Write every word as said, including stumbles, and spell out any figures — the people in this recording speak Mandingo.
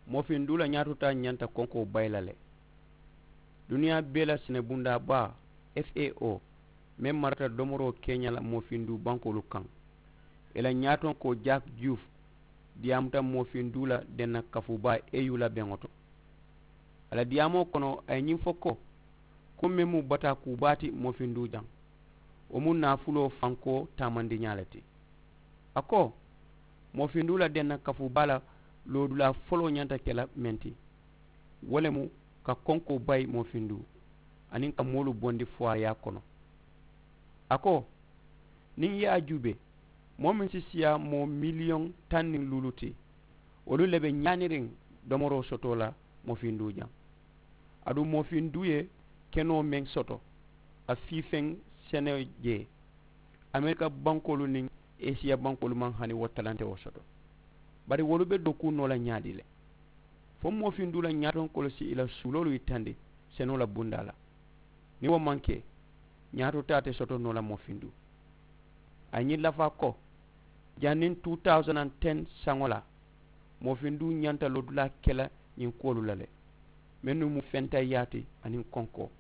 Moofinduula ñaatotaa ñanta konkoo bayi la le. Duniyaa bee la senebundaa baa, f a o, meŋ marata domoroo keeñaa la moofinduu bankoolu kaŋ, ì la ñaatonkoo jaak juuf diyaamuta moofinduu la denna kafuu baa e yu la beŋo to. A la diyaamoo kono a ye ñiŋ fo ko, ko meŋ mu bataa kuu baa ti moofinduu jaŋ, wo mu naafuloo fankoo taamandiñaa le ti. A ko, moofinduu la denna kafuu baa la loodulaa foloo ñanta ke la meŋ ti, wo le mu ka konkoo bayi moofinduu aniŋ ka moolu bondi fuwaayaa kono. A ko, niŋ i ye a juubee, moo meŋ si siyaa moo miliyoŋ taŋ niŋ luulu ti, wolu le be ñaaniriŋ domoroo sotoo la moofinduu jaŋ. Aduŋ moofinduu ye kenoo meŋ soto ka fiifeŋ sene jee, amerika bankoolu niŋ esiya bankoolu maŋ hani wo talantewo soto. Bari wolu be dokuu noo la ñaadii le? Fo moofinduu la ñaatonkoolu si i la suuloolu yitandi senoo la bundaa la. Niŋ wo maŋ ke, ñaatotaa te soto noo la moofinduu. A ye ñiŋ lafaa ko, janniŋ two thousand and ten saŋo la, moofinduu ñanta loodulaa ke la ñiŋ kuwolu la le, mennu mu fentayyaa ti aniŋ konkoo.